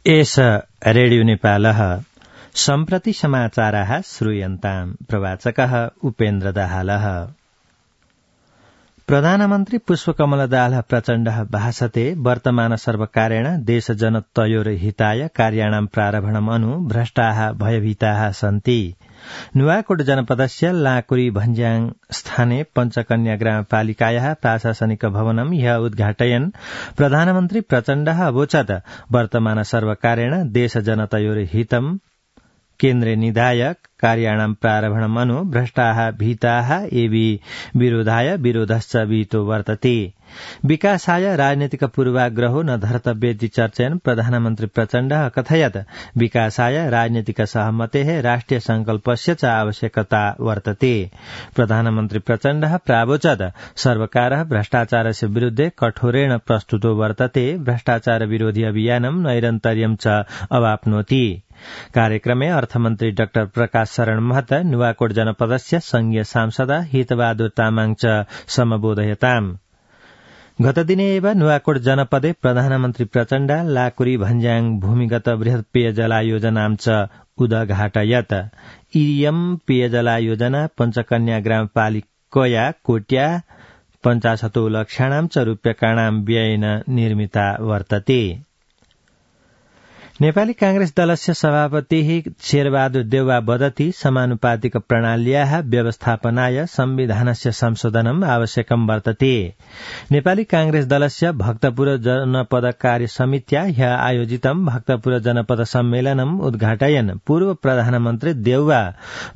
एष रेडियो नेपालः सम्प्रति समाचाराः श्रूयन्ताम्। प्रवाचकः उपेन्द्र दाहालः। प्रधानमन्त्री पुष्पकमल दाहाल प्रचण्डः भाषते वर्तमान सर्वकारेण देशजनतयोः हिताय कार्याणां प्रारम्भणम् अनु भ्रष्टाः भयभीताः सन्ति। नुवाकोट जनपदस्य लाकुरी भन्ज्याङ स्थाने पञ्चकन्या ग्रामपालिकायाः प्रशासनिक भवनं ह्य उद्घाटयन् प्रधानमन्त्री प्रचण्डः अवोचत् वर्तमान सर्वकारेण देशजनतयोः हितम् केन्द्रे निधाय कार्याणां प्रारम्भणम् अनु भ्रष्टाः भीताः एवि विरोधाय विरोधश्च विहितो वर्तते। विकासाय राजनीतिक पूर्वाग्रहो न धर्तव्येति चर्चयन् प्रधानमन्त्री प्रचण्डः अकथयत् विकासाय राजनीतिक सहमतेः राष्ट्रिय संकल्पस्य च आवश्यकता वर्तते। प्रधानमन्त्री प्रचण्डः प्रावोचत् सर्वकारः भ्रष्टाचारस्य विरुद्धे कठोरेण प्रस्तुतो वर्तते। भ्रष्टाचार विरोधी अभियानं नैरन्तर्यं च अवाप्नोति। कार्यक्रमे अर्थमन्त्री डाक्टर प्रकाश शरण महत नुवाकोट जनपदस्य संघीय सांसद हितबहादुर तामाङ च समबोधयताम्। गतदिने एव नुवाकोट जनपदे प्रधानमन्त्री प्रचण्ड लाकुरी भन्ज्याङ भूमिगत बृहत् पेयजला योजनां च उद्घाटयत्। इयं पेयजला योजना पञ्चकन्या ग्रामपालिकया कोट्या 50 लक्षाणां च रूप्यकाणां व्ययेन निर्मिता वर्तते। नेपाली कांग्रेस दलस्य सभापतिः शेरबहादुर देउवा वदति समानुपातिक प्रणाल्याः व्यवस्थापनाय संविधानस्य संशोधनम् आवश्यकं वर्तते। नेपाली कांग्रेस दलस्य भक्तपुर जनपद कार्य समित्या ह्य आयोजितं भक्तपुर जनपद सम्मेलनम् उद्घाटयन् पूर्व प्रधानमन्त्री देउवा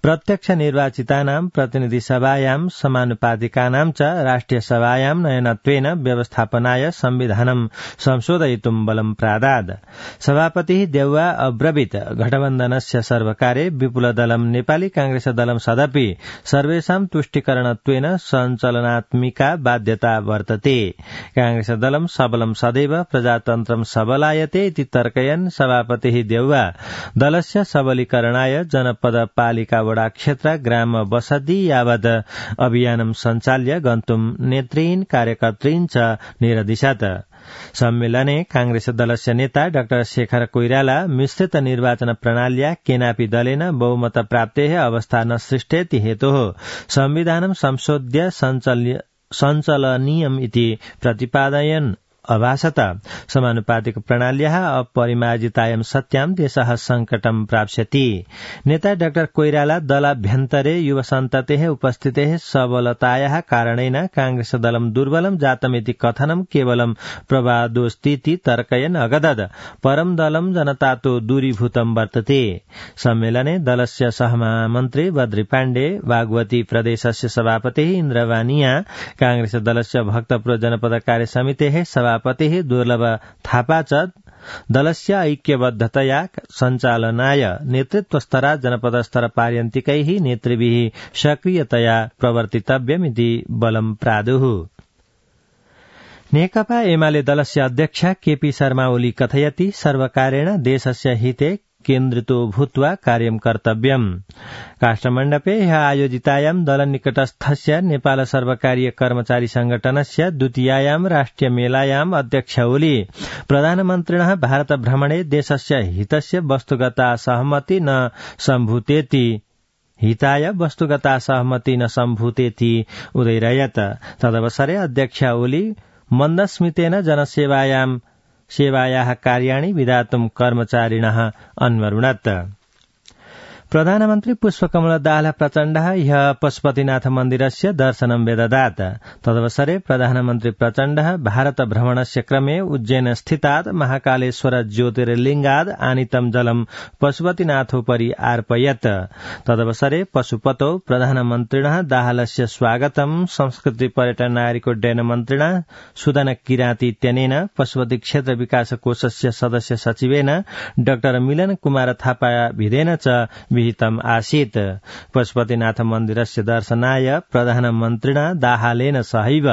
प्रत्यक्ष निर्वाचितानां प्रतिनिधि सभायां समानुपातिकानां च राष्ट्रिय सभायां नयनत्वेन व्यवस्थापनाय संविधानं संशोधयितुं बलं प्रादात्। सभापति देउवा अब्रवीत् गठबन्धनस्य सर्वकारे विपुलदलं नेपाली कांग्रेस दलं सदपि सर्वेषां तुष्टिकरणत्वेन सञ्चलनात्मिका बाध्यता वर्तते। कांग्रेस दलं सबलं सदैव प्रजातन्त्रं सबलायते इति तर्कयन् सभापतिः देउवा दलस्य सबलीकरणाय जनपद पालिका वडा क्षेत्र ग्राम बसति यावत् अभियानं सञ्चाल्य गन्तुं नेतृन् कार्यकर्तृन् च निरदिशत्। सम्मेलने कांग्रेस दलस्य नेता डाक्टर शेखर कोइराला मिश्रित निर्वाचन प्रणाल्या केनापि दलेन बहुमत प्राप्तेः अवस्था न सृष्टेति हेतोः संविधानं संशोध्य सञ्चलनीयम् इति प्रतिपादयन् अभासत समानुपातिक प्रणाल्याः अपरिमार्जितायां सत्यां देशः संकटं प्राप्स्यति। नेता डाक्टर कोइराला दलाभ्यन्तरे युवसन्ततेः उपस्थितेः सबलतायाः कारणेन कांग्रेस दलं दुर्बलं जातमिति कथनं केवलं प्रवादोस्तीति तर्कयन् अगदद् परं दलं जनतातो दूरीभूतं वर्तते। सम्मेलने दलस्य सहमहामन्त्री बद्री पाण्डे, बागमती प्रदेशस्य सभापतिः इन्द्रवानिया, कांग्रेस दलस्य भक्तपुर जनपद कार्य समितेः सभापतिः दुर्लभ थापा च दलस्य ऐक्यबद्धतया सञ्चालनाय नेतृत्वस्तरात् जनपदस्तर पार्यन्तिकैः नेतृभिः सक्रियतया प्रवर्तितव्यमिति बलं प्रादुः। नेकपा एमाले दलस्य अध्यक्ष केपी शर्मा ओली कथयति सर्वकारेण देशस्य हिते केन्द्रितो भूत्वा कार्यं कर्तव्यम्। काष्ठमण्डपे ह्यः आयोजितायां दलनिकटस्थस्य नेपाल सर्वकारीय कर्मचारी संगठनस्य द्वितीयायां राष्ट्रिय मेलायाम् अध्यक्ष ओली प्रधानमन्त्रिणः भारत भ्रमणे देशस्य हितस्य वस्तुगता सहमति न सम्भूतेति हिताय वस्तुगता सहमति न सम्भूतेति उदैरयत्। तदवसरे अध्यक्ष ओली मन्दस्मितेन सेवायाः कार्याणि विधातुं कर्मचारिणः अन्वरुणत्। प्रधानमन्त्री पुष्पकमल दाहाल प्रचण्डः ह्यः पशुपतिनाथ मन्दिरस्य दर्शनं व्यददात्। तदवसरे प्रधानमन्त्री प्रचण्डः भारत भ्रमणस्य क्रमे उज्जैन स्थितात् महाकालेश्वर ज्योतिर्लिङ्गाद् आनीतं जलं पशुपतिनाथोपरि अर्पयत्। तदवसरे पशुपतौ प्रधानमन्त्रिणः दाहालस्य स्वागतं संस्कृति पर्यटन नागरिकोड्डयन मन्त्रिणा सुदन किराती इत्यनेन पशुपति क्षेत्र विकास कोषस्य सदस्य सचिवेन डाक्टर मिलन कुमार थापा भिदेन च विहितम् आसीत्। पशुपतिनाथ मन्दिरस्य दर्शनाय प्रधानमन्त्रिणा दाहालेन सहैव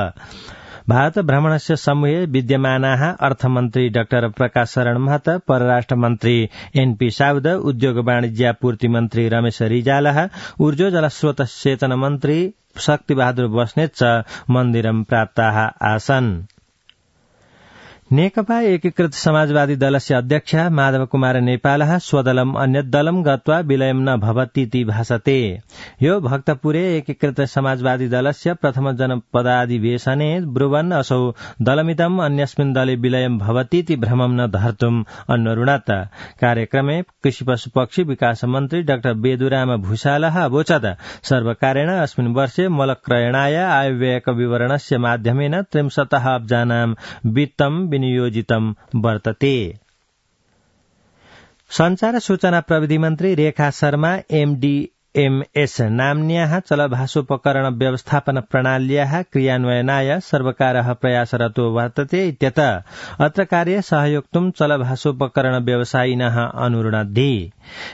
भारत भ्रमणस्य समूहे विद्यमानाः अर्थमन्त्री डाक्टर प्रकाश शरण महत, परराष्ट्र मन्त्री एनपी साउद, उद्योग वाणिज्यापूर्ति मन्त्री रमेश रिजालः, ऊर्जो जलस्रोत सेचन मन्त्री शक्ति बहादुर बस्नेत च मन्दिरं प्राप्ताः आसन्। नेकपा एकीकृत समाजवादी दलस्य अध्यक्ष माधव कुमार नेपालः स्वदलम् अन्यत् दलम् गत्वा विलयम् न भवतीति भासते। यो भक्तपुरे एकीकृत समाजवादी दलस्य प्रथम जनपदाधिवेशने ब्रुवन् असौ दलमिदम् अन्यस्मिन् दले विलयम् भवतीति भ्रमम् न धर्तुम् अन्वरुणत। कार्यक्रमे कृषि पशुपक्षी विकास मन्त्री डाक्टर बेदुराम भूषालः अवोचत् सर्वकारेण अस्मिन् वर्षे मलक्रयणाय आयव्ययक विवरणस्य माध्यमेन 63 अब्जानां वित्तम् विनियोजितम् वर्तते। संचार सूचना प्रविधि मन्त्री रेखा शर्मा एमडीएमएस नाम्न्याः चलभाषोपकरण व्यवस्थापन प्रणाल्याः क्रियान्वयनाय सर्वकारः प्रयासरतो वर्तते इत्यतः अत्र कार्ये सहयोक्तुं चलभाषोपकरण व्यवसायिनः अनुरुणद्धि।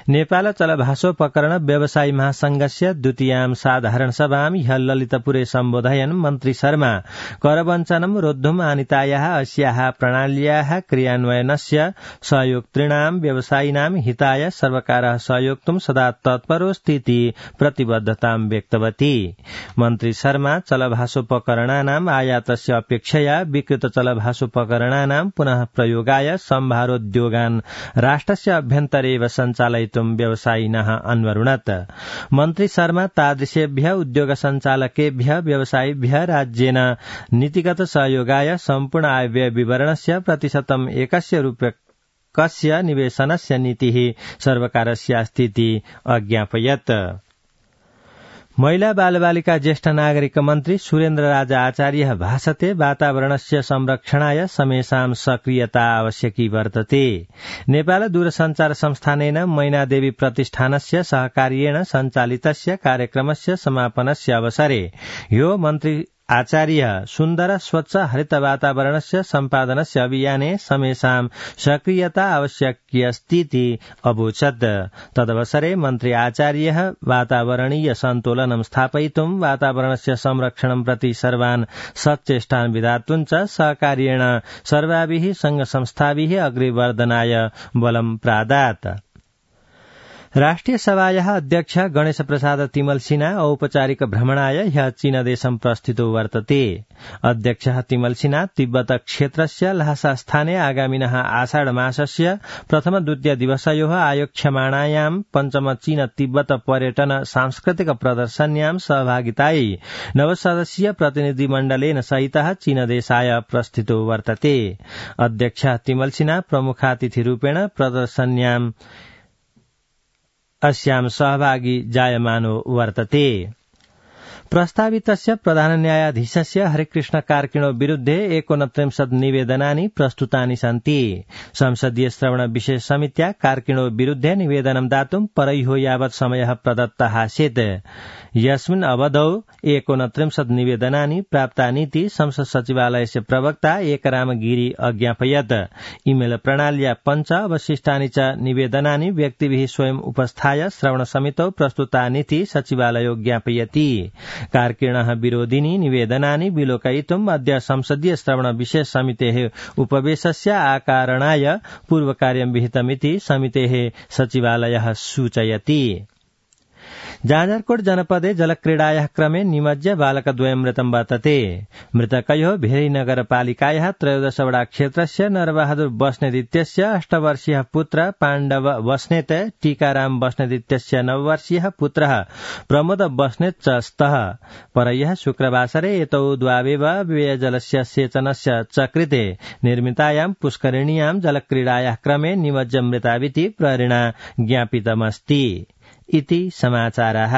नेपाल चलभाषोपकरण व्यवसायी महासंघस्य द्वितीयां साधारण सभां ह्य ललितपुरे सम्बोधयन् मन्त्री शर्मा करवञ्चनं रोद्धुम् आनीतायाः अस्याः प्रणाल्याः क्रियान्वयनस्य सहयोक्तॄणां व्यवसायिनां हिताय सर्वकारः सहयोक्तुं सदा तत्परोऽस्तीति प्रतिबद्धतां व्यक्तवती। मन्त्री शर्मा चलभाषोपकरणानाम् आयातस्य अपेक्षया विकृत चलभाषोपकरणानां पुनः प्रयोगाय सम्भारोद्योगान् राष्ट्रस्य अभ्यन्तरेव सञ्चालयितुं व्यवसायिनः अन्वरुणत। मन्त्री शर्मा तादृशेभ्यः उद्योग सञ्चालकेभ्यः व्यवसायिभ्यः राज्येन नीतिगत सहयोगाय सम्पूर्ण आयव्यय विवरणस्य प्रतिशतम् 1 रूप्यकस्य निवेशनस्य नीतिः सर्वकारस्यास्तीति अज्ञापयत्। महिला बालबालिका ज्येष्ठ नागरिक मन्त्री सुरेन्द्र राजा आचार्यः भाषते वातावरणस्य संरक्षणाय समेषां सक्रियता आवश्यकी वर्तते। नेपाल दूरसञ्चार संस्थानेन मैनादेवी प्रतिष्ठानस्य सहकार्येण सञ्चालितस्य कार्यक्रमस्य समापनस्य अवसरे यो मन्त्री आचार्य सुन्दर स्वच्छ हरित वातावरणस्य सम्पादनस्य अभियाने समेषां सक्रियता आवश्यक्यस्तीति अवोचत्। तदवसरे मन्त्री आचार्यः वातावरणीय सन्तुलनं स्थापयितुं वातावरणस्य संरक्षणं प्रति सर्वान् सच्चेष्टान् विधातुं च सहकार्येण सर्वाभिः संघ संस्थाभिः अग्रेवर्धनाय बलं प्रादात्। राष्ट्रिय सभायाः अध्यक्ष गणेश प्रसाद तिमल सिन्हा औपचारिक भ्रमणाय ह्यः चीनदेशं प्रस्थितो वर्तते। अध्यक्षः तिमल सिन्हा तिब्बत क्षेत्रस्य ल्हासा स्थाने आगामिनः आषाढ मासस्य प्रथम द्वितीय दिवसयोः आयोक्ष्यमाणायां पञ्चम चीन तिब्बत पर्यटन सांस्कृतिक प्रदर्शन्यां सहभागितायै नवसदस्यीय प्रतिनिधिमण्डलेन सहितः चीनदेशाय प्रस्थितो वर्तते। अध्यक्षः तिमल सिन्हा प्रमुखातिथिरूपेण प्रदर्शन्यां अस्यां सहभागी जायमानो वर्तते। प्रस्तावितस्य प्रधान न्यायाधीशस्य हरिकृष्ण कार्किणो विरुद्धे 29 निवेदनानि प्रस्तुतानि सन्ति। संसदीय श्रवण विशेष समित्या कार्किणो विरुद्धे निवेदनं दातुं परह्यो यावत् समयः प्रदत्तः आसीत्। यस्मिन् अवधौ 29 निवेदनानि प्राप्तानीति संसद सचिवालयस्य प्रवक्ता एकराम गिरी अज्ञापयत्। इमेल प्रणाल्या 5 अवशिष्टानि च निवेदनानि व्यक्तिभिः स्वयं उपस्थाय श्रवण समितौ प्रस्तुतानीति सचिवालयो ज्ञापयति। कार्किणः विरोधिनी निवेदनानि विलोकयितुम् अद्य संसदीय श्रवण विशेष समितेः उपवेशस्य आकारणाय पूर्वकार्यं विहितमिति समितेः सचिवालयः सूचयति। जाजरकोट जनपदे जलक्रीडायाः क्रमे निमज्य बालकद्वयं मृतं वर्तते। मृतकयोः भेरी नगरपालिकायाः 13 वडा क्षेत्रस्य नरबहादुर बस्नेत इत्यस्य 8 वर्षीयः पुत्र पाण्डव बस्नेत, टीकाराम बस्नेत इत्यस्य 9 वर्षीयः पुत्रः प्रमोद बस्नेत च स्तः। परह्यः शुक्रवासरे एतौ द्वावेव पेयजलस्य सेचनस्य च कृते निर्मितायां पुष्करिण्यां जलक्रीडायाः क्रमे निमज्य मृताविति प्रहरिणा ज्ञापितमस्ति। इति समाचारः।